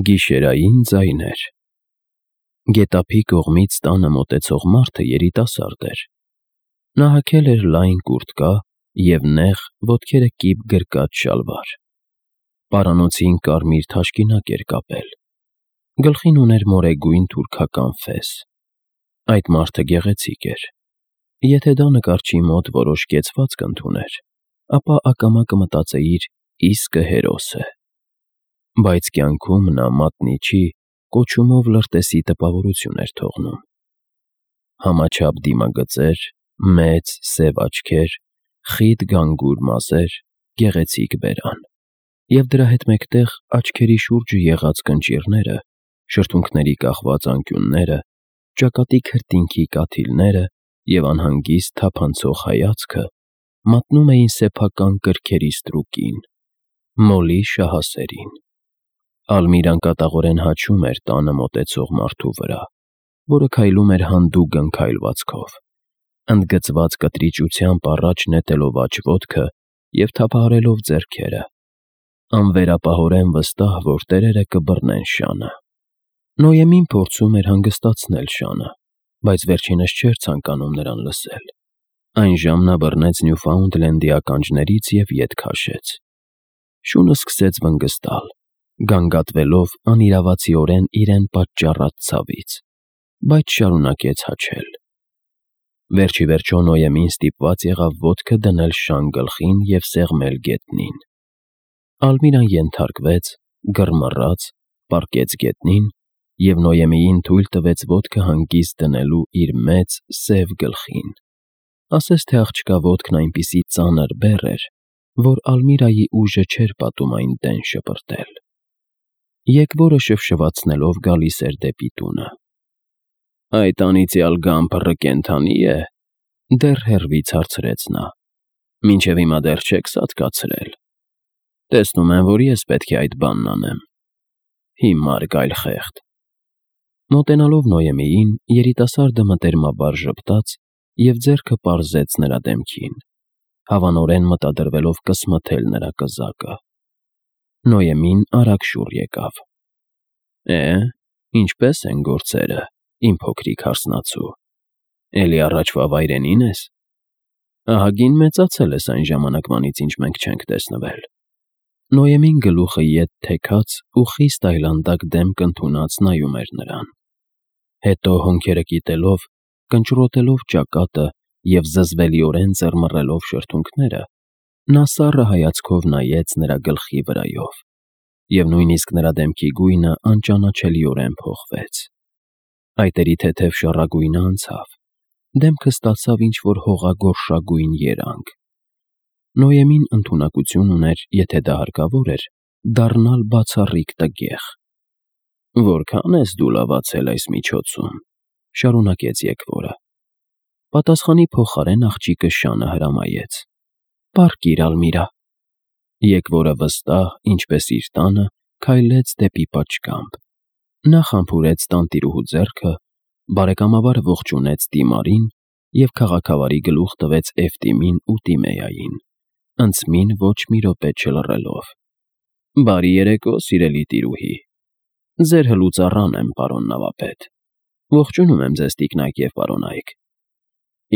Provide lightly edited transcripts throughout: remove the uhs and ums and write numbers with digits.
Գիշերային ձայներ։ Գետափի կողմից տանը մոտեցող մարդը երիտասարդ էր։ Նա հագել էր լայն կուրտկա և նեղ, ոտքերը կիպ գրկած շալվար։ Պարանոցին կարմիր թաշկինակ էր կապել։ Գլխին ուներ մորեգույն թուրքական ֆես։ Այդ մարդը գեղեցիկ էր։ Եթե դա նկարչի մոտ որոշ կեցվածք ընդուներ, ապա ակամա կմտածեիր՝ իսկը հերոս է։ Բայց կյանքում նա մատնիչի, կոչումով լրտեսի տպավորություն էր թողնում։ Համաչափ դիմագծեր, մեծ սև աչքեր, խիտ գանգուր մազեր, գեղեցիկ բերան։ Եվ դրա հետ մեկտեղ աչքերի շուրջը եղած կնճիռները, շրթունքների կախված անկյունները, ճակատի քրտինքի կաթիլները և անհանգիստ թափանցող հայացքը մատնում էին սեփական կրքերի ստրուկին՝ մոլի շահասերին։ Ալմիրան կատաղորեն հաչում էր տանը մոտեցող մարդու վրա, որը քայլում էր հանդուգն քայլվածքով, ընդգծված կտրիճությամբ առաջ նետելով աջ ոտքը և թափահարելով ձեռքերը, անվերապահորեն վստահ, որ տերերը կբռնեն շանը։ Նոյեմին փորձում էր հանգստացնել շանը, բայց վերջինս չէր ցանկանում նրան լսել։ Այն ժամ նա բռնեց Նյուֆաունդլենդի ականջներից և ետ քաշեց։ Շունը սկսեց վնգստալ, գանգատվելով անիրավացիորեն իրեն պատճառած ցավից, բայց շարունակեց հաչել։ Վերջիվերջո Նոյեմին ստիպված եղավ ոտքը դնել շան գլխին և սեղմել գետնին։ Ալմիրան ենթարկվեց, գրմռաց, պառկեց գետնին և Նոյեմիին թույլ տվեց ոտքը հանգիստ դնելու իր մեծ, սև գլխին։ Ասես թե աղջկա ոտքն այնպիսի ծանր բեռ էր, որ Ալմիրայի ուժը չէր պատում այն դեն շպրտել։ Եկվորը շվշվացնելով գալիս էր դեպի տունը։ «Այդ անիծյալ գամբռը կենդանի՞ է», դեռ հեռվից հարցրեց նա։ «Մինչև հիմա դեռ չեք սատկացրել։ Տեսնում եմ, որ ես պետք է այդ բանն անեմ։ Հիմար գայլխեղդ»։ Մոտենալով Նոյեմիին, երիտասարդը մտերմաբար ժպտաց և ձեռքը պարզեց նրա դեմքին, հավանորեն մտադրվելով կսմթել նրա կզակը։ Նոյեմին արագ շուռ եկավ։ Ինչպե՞ս են գործերը, իմ փոքրիկ հարսնացու, էլի առաջվա վայրենի՞ն ես։ Ահագին մեծացել ես այն ժամանակվանից, ինչ մենք չենք տեսնվել։ Նոյեմին գլուխը ետ թեքած ու խիստ այլանդակ դեմք ընդունած նայում էր նրան։ Հետո հոնքերը կիտելով, կնճռոտելով ճակատը և զզվելիորեն ծռմռելով շրթունքները, նա սառը հայացքով նայեց նրա գլխի վրայով, և նույնիսկ նրա դեմքի գույնը անճանաչելիորեն փոխվեց։ Այտերի թեթև շառագույնը անցավ, դեմքը ստացավ ինչ-որ հողագորշագույն երանգ։ Նոյեմին ընդունակություն ուներ, եթե դա հարկավոր էր, դառնալ բացառիկ տգեղ։ «Որքա՞ն ես դու լավացել այս միջոցում», շարունակեց եկվորը։ Պատասխանի փոխարեն աղջիկը շանը հրամայեց։ «Պառկիր, Ալմիրա»։ Եկվորը վստահ, ինչպես իր տանը, քայլեց դեպի պատշգամբ։ Նա խամփուրեց տանտիրուհու ձեռքը, բարեկամաբար ողջունեց Տիմարին և քաղաքավարի գլուխ տվեց Էֆտիմին ու Տիմեային, ընծմին ոչ մի րոպե չլռելով։ «Բարի երեկո, սիրելի տիրուհի։ Ձեր հլուծառան եմ, պարոն նավապետ։ Ողջունում եմ ձեզ, տիկնայք և պարոնայք։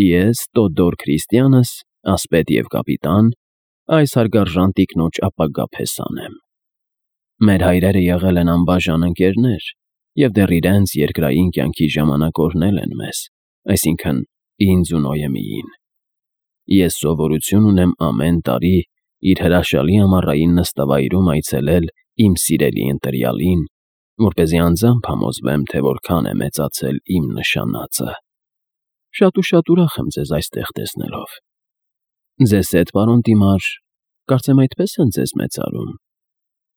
Ես Տոդոր Քրիստիանս, ասպետ և կապիտան, այս հարգարժան տիկնոջ ապագա փեսան եմ։ Մեր հայրերը եղել են անբաժան ընկերներ և դեռ իրենց երկրային կյանքի ժամանակ օրհնել են մեզ, այսինքն՝ ինձ ու Նոյեմիին։ Ես սովորություն ունեմ ամեն տարի իր հրաշալի ամառային նստավայրում այցելել իմ սիրելի ընտրյալին, որպեսզի անձամբ համոզվեմ, թե որքան է մեծացել իմ նշանածը։ Շատ ու շատ ուրախ եմ ձեզ այստեղ տեսնելով։ Ձեզ հետ, պարոն Տիմար, կարծեմ այդպես են ձեզ մեծարում։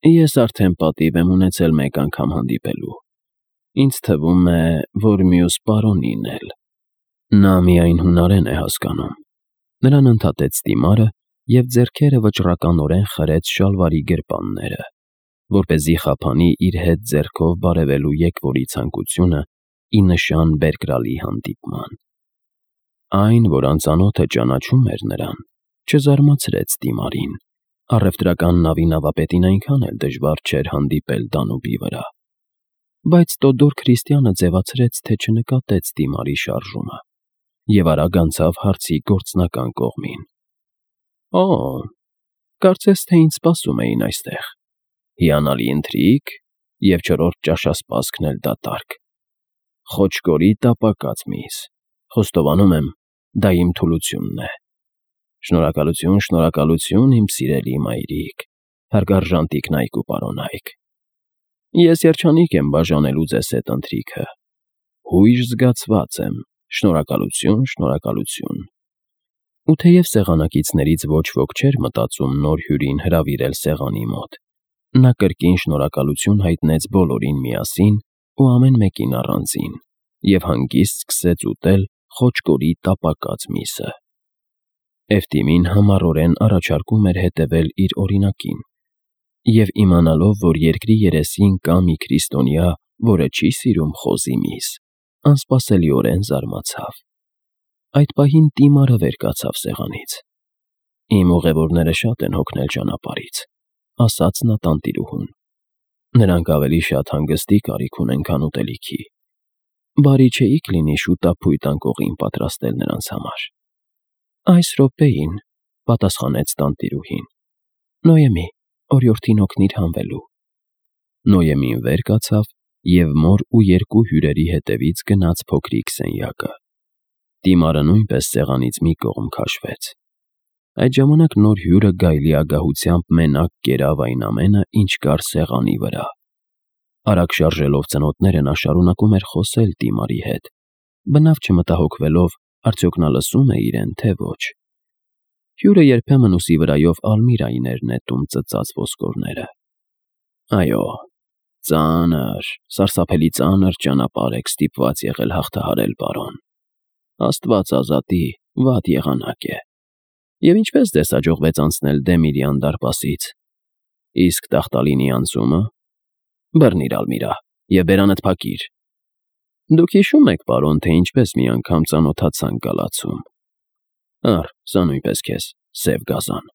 Ես արդեն պատիվ եմ ունեցել մեկ անգամ հանդիպելու։ Ինձ թվում է, որ մյուս պարոնին էլ։ Նա միայն հունարեն է հասկանում։ Նրան ընդհատեց Տիմարը և ձեռքերը վճռականորեն խրեց շալվարի գրպանները, որպեսզի խափանի իր հետ ձեռքով բարևելու եկվորի ցանկությունը ի նշան բերկրալի հանդիպման։ Այն, որ անծանոթը ճանաչում էր նրան, չզարմացրեց Տիմարին, առևտրական նավի նավապետին այնքան էլ դժվար չէր հանդիպել Դանուբի վրա։ բայց Տոդոր Քրիստիանը ձևացրեց, թե չնկատեց դիմարի շարժումը և արագ անցավ հարցի գործնական կողմին։ «Օ, կարծես թե ինձ սպասում էին այստեղ։ Հիանալի ընթրիք և չորրորդ ճաշասպասքն էլ դատարկ։ Խոչկորի տապակած միս, խոստովանում եմ, դա իմ թուլությունն է։ Շնորհակալություն, շնորհակալություն, իմ սիրելի մայրիկ, հարգարժան տիկնայք ու պարոնայք։ Ես երջանիկ եմ բաժանելու ձեզ հետ ընթրիքը։ Հույժ զգացված եմ, շնորհակալություն, շնորհակալություն»։ Ու թեև սեղանակիցներից ոչ ոք չէր մտածում նոր հյուրին հրավիրել սեղանի մոտ, նա կրկին շնորհակալություն հայտնեց բոլորին միասին ու ամեն մեկին առանձին և հանգիստ սկսեց ուտել խոչկորի տապակած միսը։ Էֆթիմին համառորեն առաջարկում էր հետևել իր օրինակին, և իմանալով, որ երկրի երեսին կա մի քրիստոնյա, որը չի սիրում խոզի միս, անսպասելիորեն զարմացավ։ Այդ պահին Տիմարը վեր կացավ սեղանից։ «Իմ ուղևորները շատ են հոգնել ճանապարհից», ասաց նա տանտիրուհուն։ «Նրանք ավելի շատ հանգստի կարիք ունեն, քան ուտելիքի։ Բարի չէիք լինի շուտափույթ անկողին պատրաստել նրանց համար»։ «Այս րոպեին», պատասխանեց տանտիրուհին։ «Նոյեմի, օրիորդին օգնիր հանվելու»։ Նոյեմին վեր կացավ և մոր ու երկու հյուրերի հետևից գնաց փոքրիկ սենյակը։ Տիմարը նույնպես սեղանից մի կողմ քաշվեց։ Այդ ժամանակ նոր հյուրը գայլի ագահությամբ մենակ կերավ այն ամենը, ինչ կար սեղանի վրա։ Արագ շարժելով ծնոտները նա շարունակում էր խոսել Տիմարի հետ, բնավ չմտահոգվելով, արդյոք նա լսում է իրեն, թե ոչ։ Հյուրը երբեմն ուսի վրայով Ալմիրային էր նետում ծծած ոսկորները։ «Այո, ծանր, սարսափելի ծանր ճանապարհ եք ստիպված եղել հաղթահարել, պարոն։ Աստված ազատի, վատ եղանակ է։ Եվ ինչպես ձեզ հաջողվեց անցնել Դեմիրյան դարպասից։ Իսկ Տախտալինի անցումը։ Բռնիր, Ալմիրա, և բերանդ փակիր։ Դուք հիշում եք, պարոն, թե ինչպես մի անգամ ծանոթացանք գալացում։ Ահ, սա նույնպես քեզ, սև գազան»։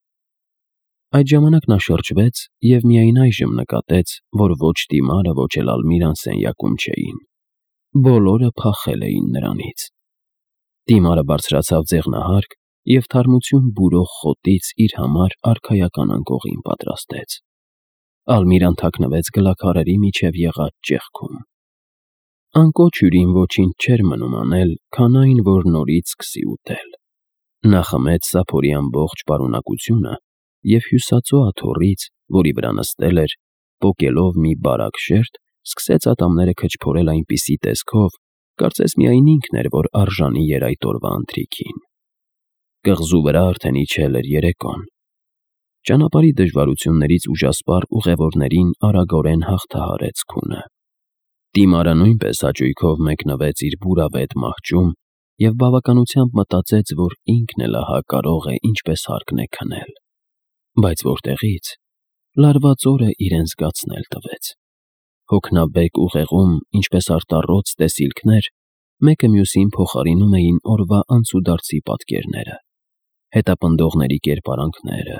Այդ ժամանակ նա շրջվեց և միայն այժմ նկատեց, որ ոչ Տիմարը, ոչ էլ Ալմիրան սենյակում չէին։ Բոլորը փախել էին նրանից։ Տիմարը բարձրացավ ձեղնահարկ և թարմություն բուրող խոտից իր համար արքայական անկողին պատրաստեց։ Ալմիրան թաքնվեց գլաքարերի միջև եղած ճեղքում։ Անկոչ հյուրին ոչինչ չէր մնում անել, քան այն, որ նորից սկսի ուտել։ Նա խմեց սափորի ամբողջ պարունակությունը և հյուսածո աթոռից, որի վրա նստել էր, պոկելով մի բարակ շերտ, սկսեց ատամները քչփորել այնպիսի տեսքով, կարծես միայն ինքն էր, որ արժանի էր այդ օրվա ընթրիքին։ Կղզու վրա արդեն իջել էր երեկոն։ Ճանապարհի դժվարություններից ուժասպառ ուղևորներին արագորեն հաղթահարեց քունը։ Տիմարը նույնպես հաճույքով մեկնվեց իր բուրավետ մահճում և բավականությամբ մտածեց, որ ինքն էլ ահա կարող է ինչպես հարկն է քնել։ Բայց որտեղից։ Լարված օրը իրեն զգացնել տվեց։ Հոգնաբեկ ուղեղում, ինչպես արտառոց տեսիլքներ, մեկը մյուսին փոխարինում էին օրվա անցուդարձի պատկերները, հետապնդողների կերպարանքները,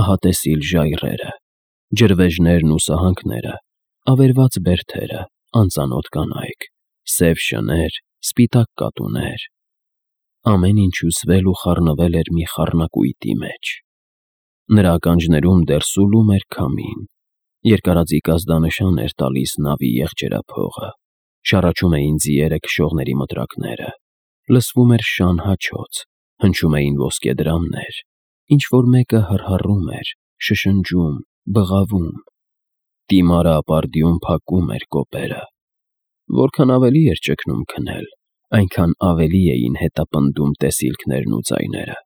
ահատեսիլ ժայռերը, ջրվեժներն ու սահանքները, ավերված բերդերը, անծանոթ կանայք, սև շներ, սպիտակ կատուներ։ Ամեն ինչ հյուսվել ու խառնվել էր մի խառնակույտի մեջ։ Նրա ականջներում դեռ սուլում էր քամին, երկարաձիգ ազդանշան էր տալիս նավի եղջերափողը, շառաչում էին ձիերը քշողների մտրակները, լսվում էր շան հաչոց, հնչում էին ոսկեդրամներ, ինչ-որ մեկը հռհռում էր, շշնջում, բղավում։ Տիմարը ապարդյուն փակում էր կոպերը։ Որքան ավելի էր ճգնում քնել, այնքան ավելի էին հետապնդում տեսիլքներն ու ձայները։